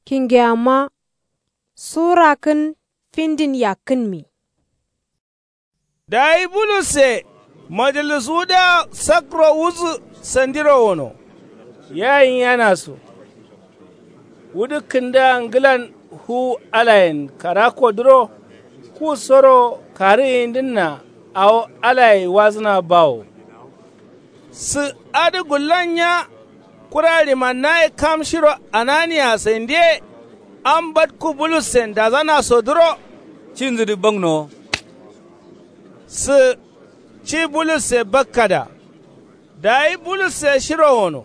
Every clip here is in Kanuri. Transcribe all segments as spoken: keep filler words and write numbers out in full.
Kingeyamma suwurakkǝn findin yakkǝnmi. Dayi bulusse majalisuwudǝa sakro wudǝ sandiro wono. Yayin yanaso wudǝ kǝndǝa ngǝlan fuwu alayen karakodǝro. Kusoro karǝ yindǝnna awo alaye wazǝna bawo. Sǝ adǝ gullon nya. Kura limannaye kam shiro ananiya sandiye am batku bulussen dazanasodǝro. Cinzǝdǝ baknowo. Sǝ ci bulusse bakkada. Dayi bulusse shiro wono.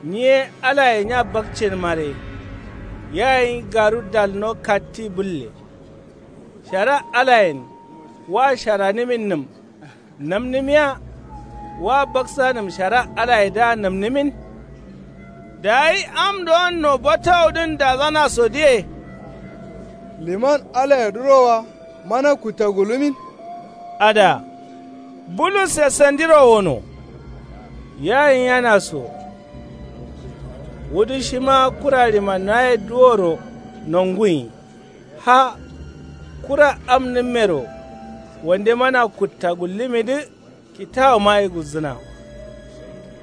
Nyiye alaye nya bakcin mare. Yayin garu dalno katti bǝlle. Shara alayen wa sharanǝminnǝm namnǝmiya. Wa baksanǝm shara alayedǝa namnǝmin. Dayi am do'onno batawudǝn dazanasodǝye. Liman alayedǝro wa mana kutta gullumin. Ada bulusse sandiro wono. Yayin yanaso wudǝ shima kura limannaye duworo nonguyi. Ha kura amnǝmmero wande mana kutta gullumidǝ. Kitawumaye gulzǝna.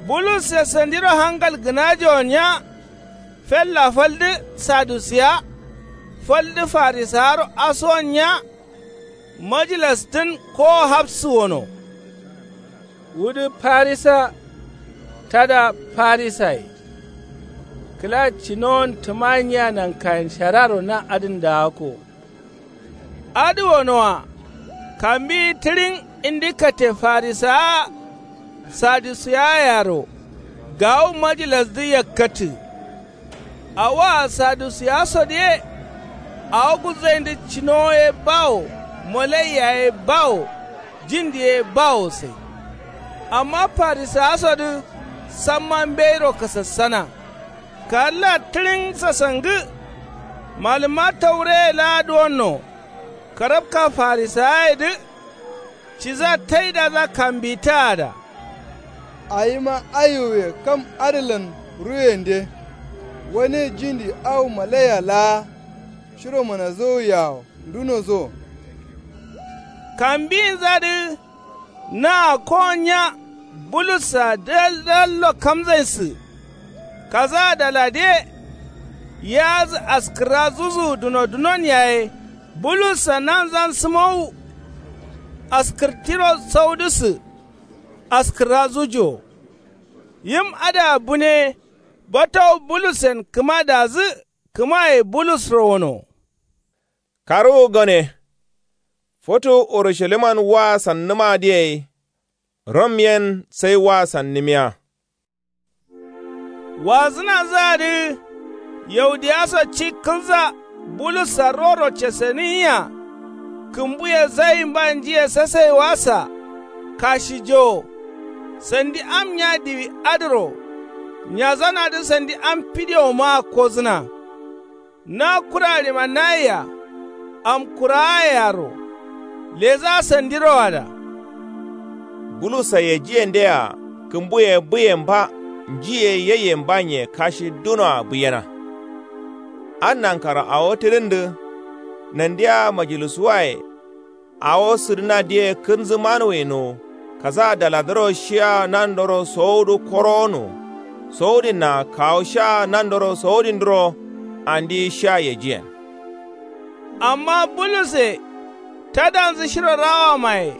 Bulusse sandiro hangal gǝnajowo nya. Fella faldǝ sadusiya faldǝ farisawaro asuwon nya. Majilasdǝn kowo hafsǝ wono. Wudǝ farisa tada farisaye. Kǝla cinowon tǝma nyiya nankayen shararo na adǝn daako. Adǝ wonoa kambiyi tǝɍin indi kate farisawa. Sadusiyayero gawu majilasdǝ yakkatǝ. Awoa sadusiyasodǝ ye. Awo gulzaindǝ cinowo ye bawo. Malaiya ye bawo. Jindi ye bawo sai. Amma farisawasodǝ samma mbeiro kasassana. Kalla tǝɍin sasangǝ. Malǝmma taureye laa duwonno. Karabka farisawayedǝ. Ciza taidaza kambitaa da. Awima aiwuye kam adǝlan ruwende. Wane jindi awo malaiya laa shiro manazowuye-awo ndunoso. Kambiyinzadǝ naa kowon nya. Bulussa dal dallo kamzainssǝ. Kaza daladǝye. Yiyazǝ askǝrra zuzuwu duno dunon yaye. Bulussa nanzan sǝmowu. Askǝrtiro saudǝssǝ. Askǝrra zujowo. Yim adǝa bune. Batawu bulussen kǝma dazǝ. Kǝmaye bulusro wono. Karǝwu gone. Futu urusaliman waa sannǝmadǝ yai. Rom yen sai waa sannǝmiya. Wazǝnanzǝadǝ. Yaudiyaso ci kǝlza. Bulussa roro ceseniyiya. Kǝmbuye zayimba njiye sasaiwasa. Kashijowo. Sandi am nya diwi adǝro. Nyazanadǝ sandi am fidiyomaa kozǝna. Na kura ɍimannayea. Amkuraayea ro. Leza sandiro ada. Bulussa yejiyendea kǝmbuye bǝyemba. Njiye yeyembanye kashi dunoa bǝyena. An nankaro awo tǝdǝndǝ. Nandiya majilisuwaye. Awo sǝdǝnadǝye kǝnzǝ manuwino. Kaza daladǝro shiya nandoro sowudǝ korowono. Sowudinna kawu sha nandoro sowudindǝro. Andi sha yejiyen. Amma bulusse tadanzǝ shiro rawamaye.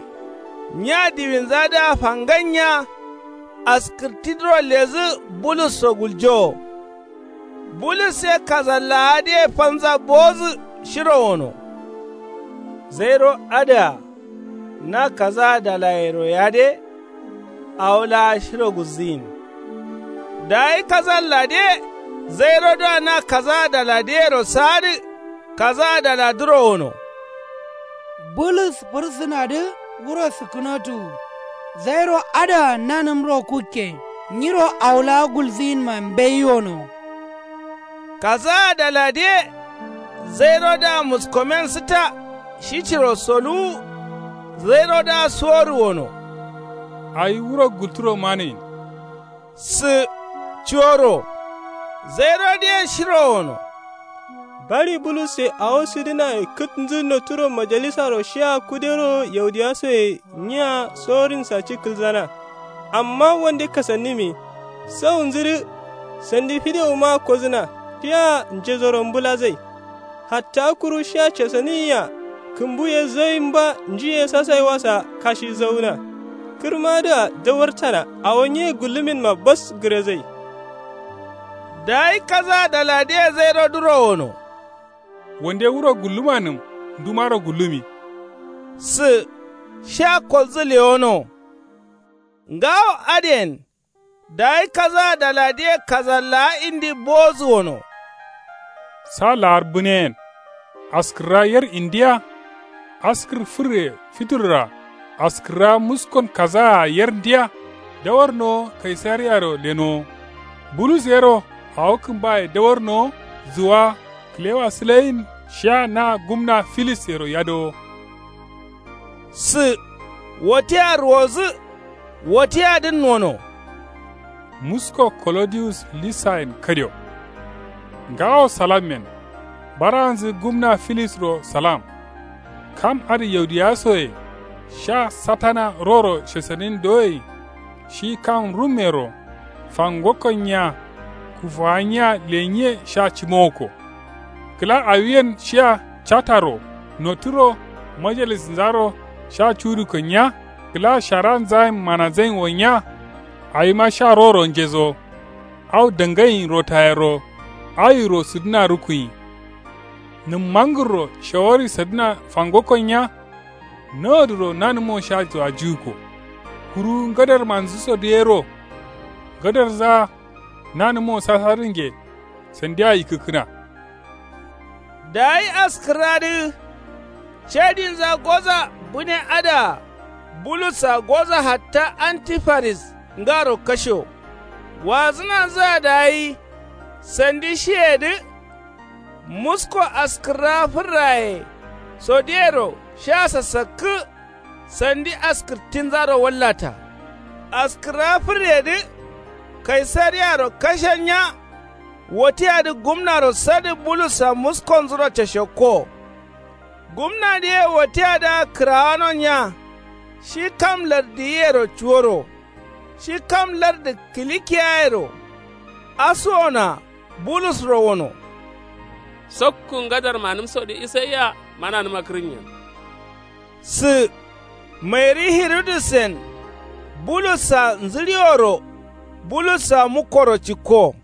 Nya diwinzadǝa fangannya. Askǝrtidǝro lezǝ bulusso guljowo. Bulus ye kazallawadǝye fanza bowozǝ shiro wono. Zairo adǝa na kazaa dalayero yade. Awo laa shiro gulzǝyin. Dayi kazalladǝye zairodǝa na kazaa daladǝyero saadǝ. Kazaa daladǝro wono. Bulus fǝrsǝnadǝ wuro sǝkkǝnotuwu. Zairo adǝa nanǝmro kukke. Nyiro awo laa gulzǝyinma mbei wono. Kazaa daladǝye zairodǝa muskomen sǝtta. Shi ciro soluwu. Zairodǝa suworǝ wono. Awi wuro gulturo manuwin. Sǝ ciworo. Zairodǝye shiro wono. Bari bulusse awo sǝdǝnaye kǝtnzǝ notturo majalisaro shiya kudero yaudiyasoye nyiya sorinsa ci kǝlzana. Amma wande kasannimi saunzǝdǝ sandi fidewuma kozǝna. Fiya njezoro mbǝlazai. Hatta kuru shiya casaniyia kǝmbuye zaimba njiye sasaiwasa kashi zauna. Kǝrmadǝa dawartana awo nye gulluminma bas gǝrezai. Dayi kaza daladiye zairo duro wono. Wande wuro gullumanǝm ndumaro gullumi. Sǝ sha kolzǝ lewono. Ngawo adǝyen dayi kaza daladiye kaza laa indi bowozǝ wono. Sa laar bǝneyen askǝrra yer indiya. Askǝr fǝrre fiturra askǝrra muskon kazaa yer ndiya. Dawarnowo kaisariyaro lenowo. Bulus yero awo kǝmbaye dawarnowo zuwa kǝlewa sǝleyin shiya na gumna filis yero yadowo. Sǝ wotiya ruwozǝ. Wotiyadǝn nono. Musko kolodiyus lisayen kadio. Ngawo salammen. Baranzǝ gumna filisro salam. Kam adǝ yaudiyasoye sha satana roro shesanin doye. Shi kam rummero fangokko nyiya kufawa nyiya lenyiye sha cimowokko. Kǝla awiyen shiya cataro notturo majalisnzaro sha cuduko nyiya. Kǝla sharanzayen mananzain wo nyiya. Awima sha roro njezo. Au dangain rotayero awiro sǝdǝna rukuyin. Nǝmmangǝrro shawari sadǝna fangokko nyiya. Nodǝro nanǝmo sha zuwajiwukko. Kuru ngadarmanzǝsodǝ yero. Ngadarzaa nanǝmo sasadǝnge sandiya yikkǝkkǝna. Dayi askǝrradǝ cadinza goza bǝne adǝa bulussa goza hatta antifaris ngaro kashewo. Wazǝnanzǝa dayi sandi shiyedǝ. Musko askǝrra fǝrraye sodiyero sha sasakkǝ. Sandi askǝrtinzaro wallata. Askǝrra fǝryedǝ kaisariyaro kashen nya. Wotiyadǝ gumnaro sadǝ bulussa muskonzuro cashakko. Gumnadǝye wotiyadǝa kǝrawanon nya. Shi kam lardǝ yiyero cuworo. Shi kam lardǝ kilikiyayero. Asuwona bulusro wono. Sokku ngadarmanǝmsodǝ isaiya mananǝma kǝrǝnyen. Sǝ mairi hirudisen bulussa nzǝɍiworo bulussa mukkoro cikko.